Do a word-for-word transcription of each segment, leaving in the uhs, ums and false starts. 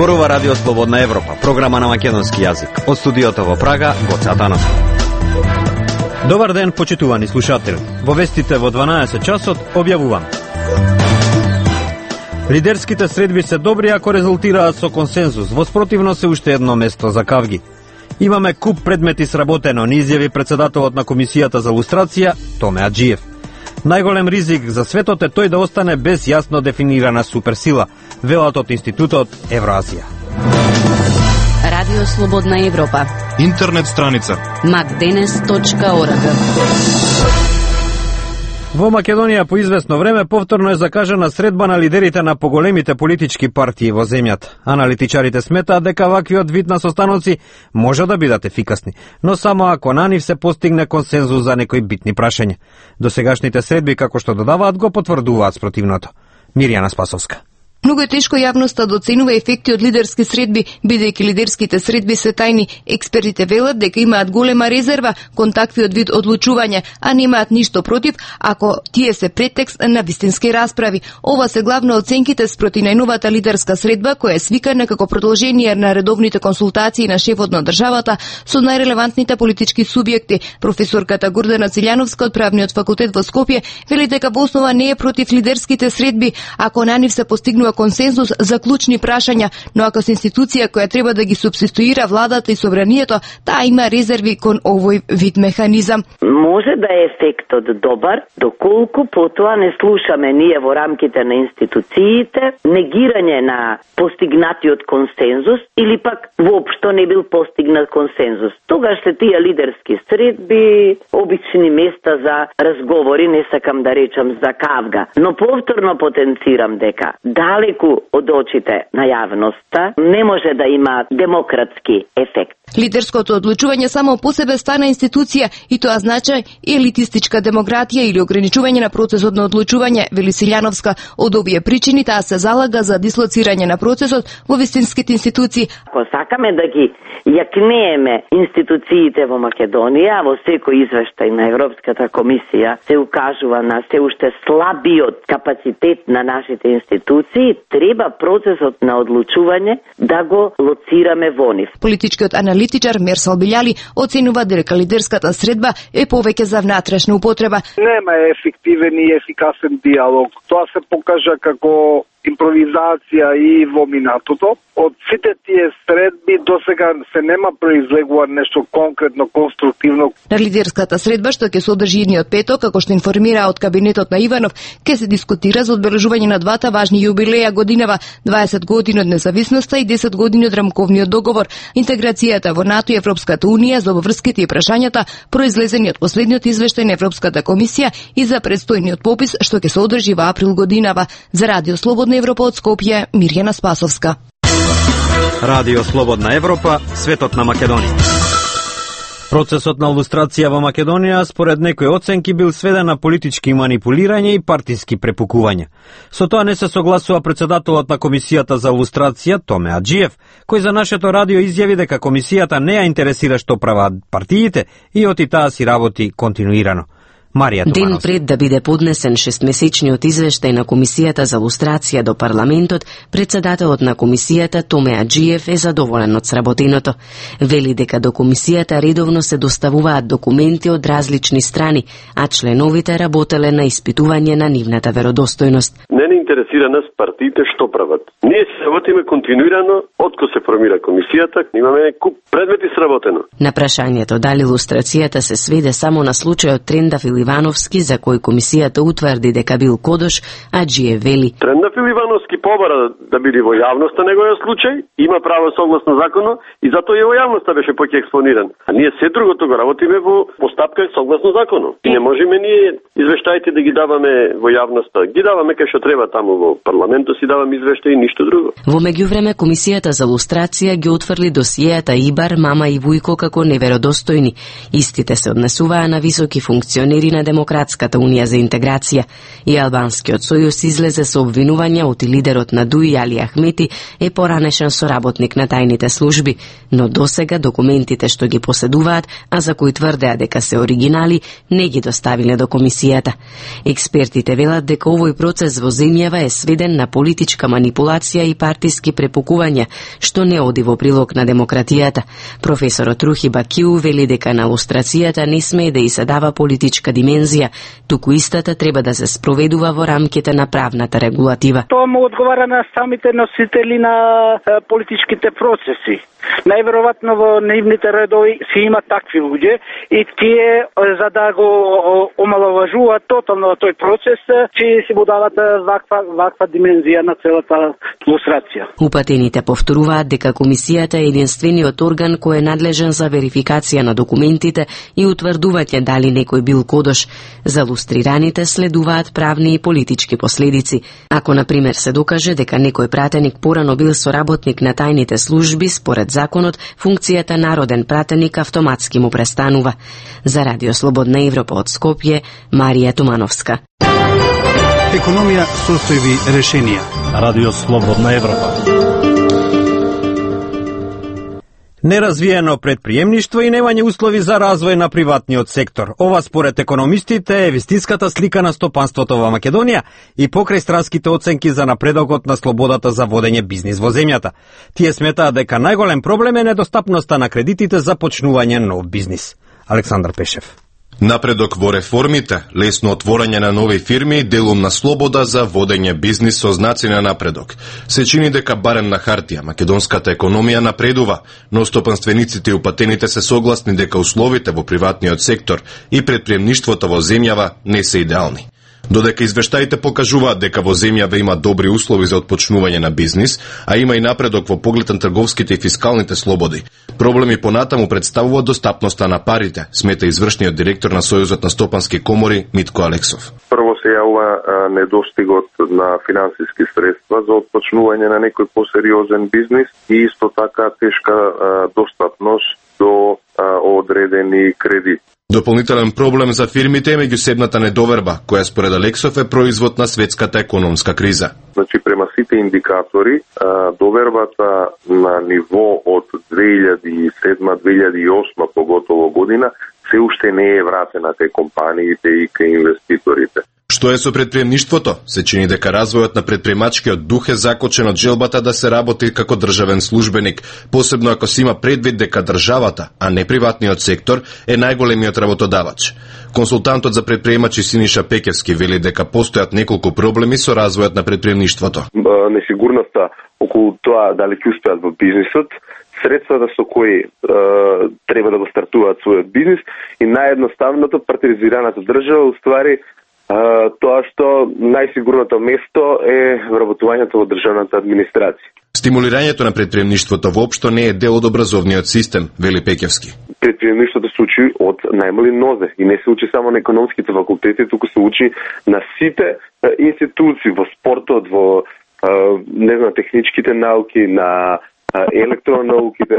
Зборува Радио Слободна Европа, програма на македонски јазик. Од студиото во Прага, Гоце Атанасов. Добар ден, почитувани слушатели. Во вестите во дванаесет часот објавувам. Лидерските средби се добри ако резултираат со консензус. Во спротивно се уште едно место за кавги. Имаме куп предмети сработено, ни изјави председателот на Комисијата за лустрација Томе Аџиев. Најголем ризик за светот е тој да остане без јасно дефинирана суперсила, велат од Институтот Евроазија. Радио Слободна Европа. Интернет страница макденес точка орг. Во Македонија по известно време повторно е закажана средба на лидерите на поголемите политички партии во земјата. Аналитичарите сметаат дека ваквиот вид на состаноци може да бидат ефикасни, но само ако на нив се постигне консензус за некои битни прашања. Досегашните средби, како што додаваат, го потврдуваат спротивното. Мирјана Спасовска. Многу е тешко јавноста да оценува ефекти од лидерски средби, бидејќи лидерските средби се тајни. Експертите велат дека имаат голема резерва кон таквиот вид одлучување, а немаат ништо против ако тие се претекст на вистински расправи. Ова се главно оценките спроти најновата лидерска средба, која е свикана како продолжение на редовните консултации на шефот на државата со најрелевантните политички субјекти. Професорката Гордана Циљановска од Правниот факултет во Скопје вели дека во основа не е против лидерските средби, ако на нив се постигнува консензус за клучни прашања, но ако се институција која треба да ги субституира владата и собранието, таа има резерви кон овој вид механизам. Може да е ефектот добар, доколку потоа не слушаме ние во рамките на институциите негирање на постигнатиот консензус или пак воопшто не бил постигнат консензус. Тогаш се тие лидерски средби обични места за разговори, не сакам да речам за кавга, но повторно потенцирам дека далеку од очите на јавноста не може да има демократски ефект. Лидерското одлучување само по себе стана институција и тоа значи елитистичка демократија или ограничување на процесот на одлучување, вели Силјановска. Од овие причини таа се залага за дислоцирање на процесот во вистинските институции. Ако сакаме да ги јакнееме институциите во Македонија, во секој извештај на Европската комисија се укажува на се уште слабиот капацитет на нашите институции, треба процесот на одлучување да го лоцираме во нив. Политичкиот аналитичар Мерсал Билјали оценува дека лидерската средба е повеќе за внатрешна употреба. Нема ефективен и ефикасен диалог. Тоа се покажа како импровизација и во минатото. Од сите тие средби досега се нема произлегува нешто конкретно, конструктивно. На лидерската средба, што ќе се одржи идниот петок, како што информира од кабинетот на Иванов, ќе се дискутира за одбележување на двата важни јубилеја годинава, дваесет години од независноста и десет години од рамковниот договор, интеграцијата во НАТО и Европската унија, за обврските и прашањата произлезени од последниот извештај на Европската комисија и за предстојниот попис што ќе се одржи во април годинава. За Радио Слободна Европа од Скопје, Мирјана Спасовска. Радио Слободна Европа, светот на Македонија. Процесот на лустрација во Македонија според некои оценки бил сведен на политички манипулирање и партиски препукување. Со тоа не се согласува председателот на Комисијата за лустрација Томе Аџиев, кој за нашето радио изјави дека комисијата не ја интересира што прават партиите и оти таа си работи континуирано. Марија Туманов. Ден пред да биде поднесен шестмесечниот извештај на Комисијата за лустрација до парламентот, председателот на комисијата Томе Аџиев е задоволен од сработеното. Вели дека до комисијата редовно се доставуваат документи од различни страни, а членовите работеле на испитување на нивната веродостојност. Не не интересира нас партиите што прават. Ние се работиме континуирано откако се формира комисијата, имаме куп предмети сработено. На прашањето дали лустрацијата се сведе само на случајот Трендаф Ивановски, за кој комисијата утврди дека бил кодош, Аџиев вели: Трендаф Ивановски побара да биде во јавноста неговиот случај, има право согласно законот и затоа и во јавноста беше поќе експониран. А ние се другото го работиме во постапка согласно законот. И не можеме ние извештаите да ги даваме во јавноста. Ги даваме кај што треба таму во парламентот, си даваме извештаи и ништо друго. Во меѓувреме комисијата за лустрација ги отфрли досијата Ибар, Мама и Вујко како неверодостојни. Истите се однесуваа на високи функционери на Демократската унија за интеграција, и Албанскиот сојуз излезе со обвинувања оти лидерот на ДУИ Али Ахмети е поранешен соработник на тајните служби, но досега документите што ги поседуваат, а за кои тврдеа дека се оригинали, не ги доставиле до комисијата. Експертите велат дека овој процес во земјава е сведен на политичка манипулација и партиски препукувања, што не оди во прилог на демократијата. Професорот Рухи Бакиу вели дека на лустрацијата не смее да и се дава политичка димензија, туку истата треба да се спроведува во рамките на правната регулатива. Тоа му одговара на самите носители на е, политичките процеси. Најверојатно во нивните редови си има такви луѓе и тие за да го омаловажуваат тотално тој процес, че си му дават ваква ваква димензија на целата лустрација. Упатените повторуваат дека комисијата е единствениот орган кој е надлежен за верификација на документите и утврдување дали некој бил кодош. За лустрираните следуваат правни и политички последици. Ако на пример се докаже дека некој пратеник порано бил соработник на тајните служби, според законот, функцијата народен пратеник автоматски му престанува. За Радио Слободна Европа од Скопје, Марија Тумановска. Економија, состојби, решенија. Радио Слободна Европа. Неразвиено предприемништво и немање услови за развој на приватниот сектор. Ова според економистите е вистинската слика на стопанството во Македонија и покрај странските оценки за напредокот на слободата за водење бизнис во земјата. Тие сметаат дека најголем проблем е недостапноста на кредитите за почнување нов бизнис. Александар Пешев. Напредок во реформите, лесно отворање на нови фирми и делум на слобода за водење бизнис со знаци на напредок. Се чини дека барем на хартија македонската економија напредува, но стопанствениците и упатените се согласни дека условите во приватниот сектор и предприемништвото во земјава не се идеални. Додека извештаите покажуваат дека во земјава има добри услови за отпочнување на бизнис, а има и напредок во поглед на трговските и фискалните слободи, проблеми понатаму представува достапноста на парите, смета извршниот директор на Сојузот на стопански комори Митко Алексов. Прво се јавува недостигот на финансиски средства за отпочнување на некој посериозен бизнис и исто така тешка а, достапност до а, одредени кредити. Дополнителен проблем за фирмите е меѓусебната недоверба, која според Алексов е производ на светската економска криза. Значи, према сите индикатори, довербата на ниво од две илјади и седма - две илјади и осма поготово година се уште не е вратена кај компаниите и кај инвеститорите. Што е со предприемништвото? Се чини дека развојот на предприемачкиот дух е закочен од желбата да се работи како државен службеник, посебно ако се има предвид дека државата, а не приватниот сектор, е најголемиот работодавач. Консултантот за предприемачи Синиша Пекевски вели дека постојат неколку проблеми со развојот на предприемништвото. Несигурноста околу тоа дали ќе успеат во бизнисот, средствата со кои е, треба да го стартуваат својот бизнис и наједноставното партизираната држава уствари тоа што најсигурното место е вработувањето во државната администрација. Стимулирањето на предприемништвото воопшто не е дел од образовниот систем, вели Пекевски. Предприемништвото се учи од најмали нозе и не се учи само на економските факултети, туку се учи на сите институции, во спортот, во не знам, техничките науки, на електронауките,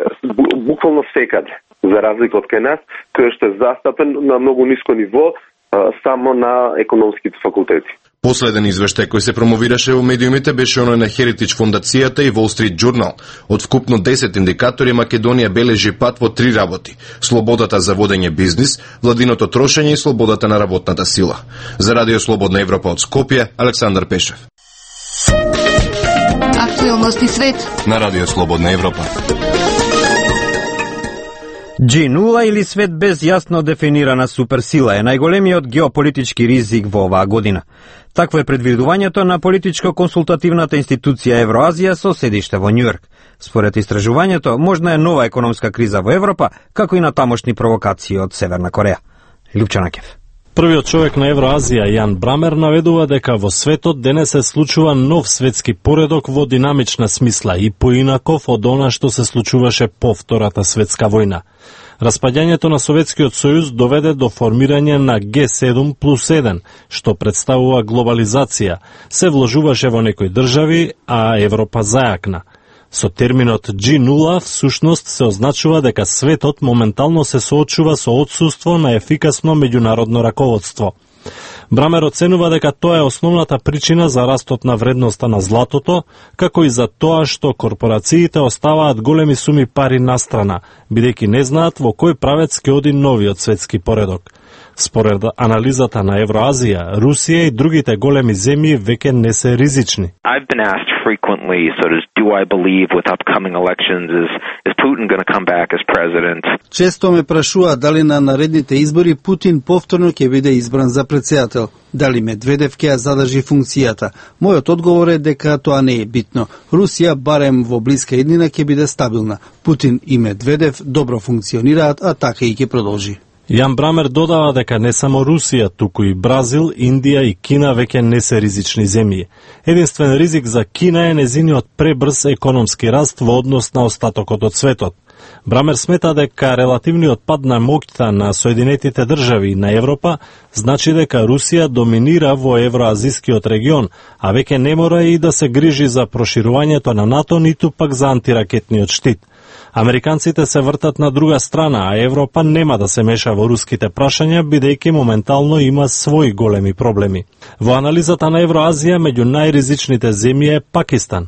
буквално секаде, за разлика од кај нас, кој што е застапен на многу ниско ниво, само на економските факултети. Последен извештај кој се промовираше во медиумите беше оној на Heritage фондацијата и Wall Street Journal. Од вкупно десет индикатори Македонија бележи пат во три работи: слободата за водење бизнис, владиното трошење и слободата на работната сила. За Радио Слободна Европа од Скопје, Александар Пешев. Актуелности свет на Радио Слободна Европа. Джи нула или свет без јасно дефинирана суперсила е најголемиот геополитички ризик во оваа година. Такво е предвидувањето на политичко-консултативната институција Евроазија со седиште во Њујорк. Според истражувањето, можна е нова економска криза во Европа, како и на тамошни провокации од Северна Кореја. Лјупчанакев. Првиот човек на Евроазија, Јан Брамер, наведува дека во светот денес се случува нов светски поредок во динамична смисла и поинаков од она што се случуваше по Втората светска војна. Распаѓањето на Советскиот сојуз доведе до формирање на Ге седум плюс еден, што представува глобализација. Се вложуваше во некои држави, а Европа зајакна. Со терминот джи нула всушност се означува дека светот моментално се соочува со отсуство на ефикасно меѓународно раководство. Брамер оценува дека тоа е основната причина за растот на вредноста на златото, како и за тоа што корпорациите оставаат големи суми пари настрана, бидејќи не знаат во кој правец ќе оди новиот светски поредок. Според анализата на Евроазија, Русија и другите големи земји веќе не се ризични. I've been asked frequently, so does do I believe with upcoming elections is is Putin going to come back as president? Често ме прашуваат дали на наредните избори Путин повторно ќе биде избран за претседател, дали Медведев ќе ја задржи функцијата. Мојот одговор е дека тоа не е битно. Русија барем во блиска иднина ќе биде стабилна. Путин и Медведев добро функционираат, а така и ќе продолжи. Јан Брамер додава дека не само Русија, туку и Бразил, Индија и Кина веќе не се ризични земји. Единствен ризик за Кина е незиниот пребрз економски раст во однос на остатокот од светот. Брамер смета дека релативниот пад на моќта на Соединетите држави и на Европа значи дека Русија доминира во евроазискиот регион, а веќе не мора и да се грижи за проширувањето на НАТО, ниту пак за антиракетниот штит. Американците се вртат на друга страна, а Европа нема да се меша во руските прашања, бидејќи моментално има своји големи проблеми. Во анализата на Евроазија, меѓу најризичните земји е Пакистан.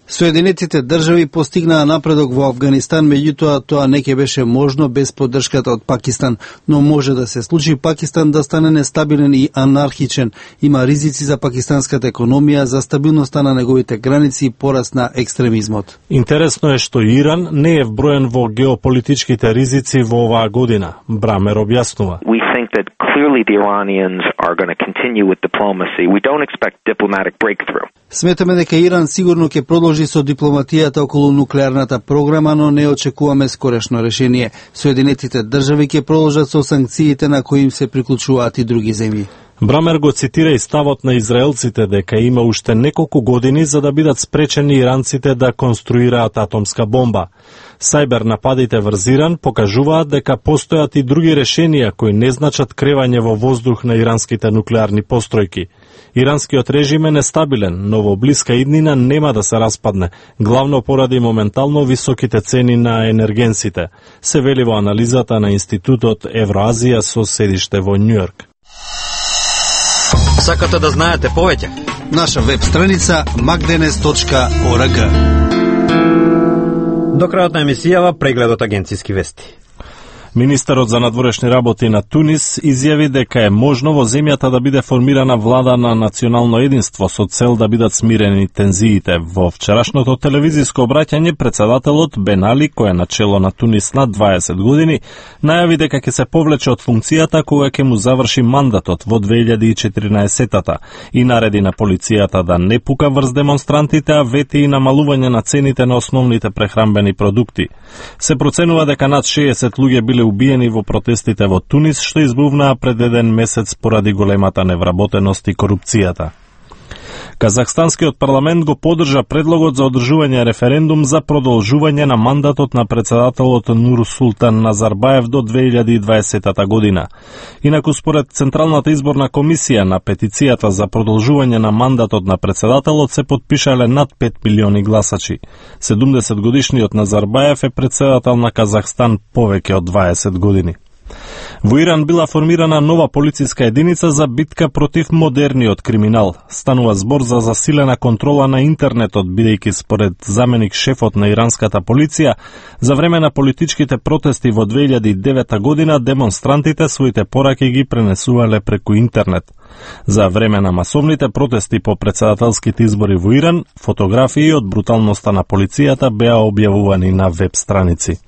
Соединетите држави постигнаа напредок во Авганистан, меѓутоа тоа не ќе беше можно без поддршката од Пакистан, но може да се случи Пакистан да стане нестабилен и анархичен. Има ризици за пакистанската економија, за стабилноста на неговите граници и пораст на екстремизмот. Интересно е што Иран не е вброен во геополитичките ризици во оваа година, Брамер објаснува. We think that clearly the Iranians are going to continue with diplomacy. We don't expect diplomatic breakthrough. Сметаме дека Иран сигурно ќе продолжи со дипломатијата околу нуклеарната програма, но не очекуваме скорешно решение. Соединетите држави ќе продолжат со санкциите на кои им се приклучуваат и други земји. Брамер го цитира и ставот на израелците дека има уште неколку години за да бидат спречени иранците да конструираат атомска бомба. Сајбер нападите врз Иран покажуваат дека постојат и други решенија кои не значат кревање во воздух на иранските нуклеарни постројки. Иранскиот режим е нестабилен, но во блиска иднина нема да се распадне, главно поради моментално високите цени на енергенсите, се вели во анализата на Институтот Евроазија со седиште во Њујорк. Сакате да знаете повеќе? Наша веб страница макденес точка орг. До крајот на емисијава прегледот агенциски вести. Министерот за надворешни работи на Тунис изјави дека е можно во земјата да биде формирана влада на национално единство со цел да бидат смирени тензиите. Во вчерашното телевизиско обраќање председателот Бен Али, кој е начело на Тунис над дваесет години, најави дека ќе се повлече од функцијата кога ќе му заврши мандатот во две илјади и четиринаесетта и нареди на полицијата да не пука врз демонстрантите, а вети и намалување на цените на основните прехранбени продукти. Се проценува дека над шеесет луѓе биле убиени во протестите во Тунис, што избувнаа пред еден месец поради големата невработеност и корупцијата. Казахстанскиот парламент го поддржа предлогот за одржување референдум за продолжување на мандатот на председателот Нурсултан Назарбаев до две илјади и дваесетта година. Инаку според Централната изборна комисија на петицијата за продолжување на мандатот на председателот се потпишале над пет милиони гласачи. седумдесет годишниот Назарбаев е председател на Казахстан повеќе од дваесет години. Во Иран била формирана нова полициска единица за битка против модерниот криминал. Станува збор за засилена контрола на интернетот, бидејќи според заменик шефот на иранската полиција, за време на политичките протести во две илјади и девета година демонстрантите своите пораки ги пренесувале преку интернет. За време на масовните протести по председателските избори во Иран, фотографии од бруталноста на полицијата беа објавувани на веб страници.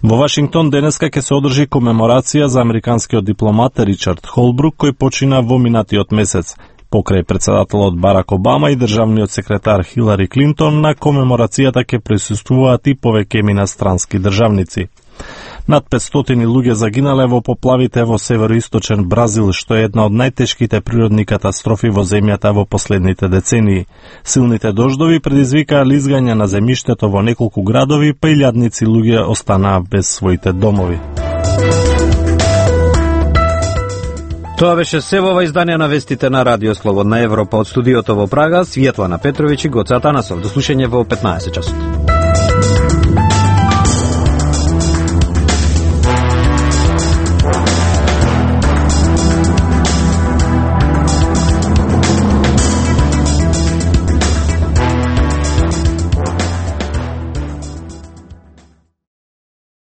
Во Вашингтон денеска ќе се одржи комеморација за американскиот дипломат Ричард Холбрук, кој почина во минатиот месец. Покрај председателот Барак Обама и државниот секретар Хилари Клинтон, на комеморацијата ќе присуствуваат и повеќе инострански државници. Над петстотини луѓе загинале во поплавите во североисточен Бразил, што е една од најтешките природни катастрофи во земјата во последните децении. Силните дождови предизвикаа лизгање на земјиштето во неколку градови, па илјадници луѓе останаа без своите домови. Тоа беше се во ова издание на вестите на Радио Слободна Европа од студиото во Прага, Светлана Петровиќ и Гоце Атанасов. До слушање во петнаесет часот.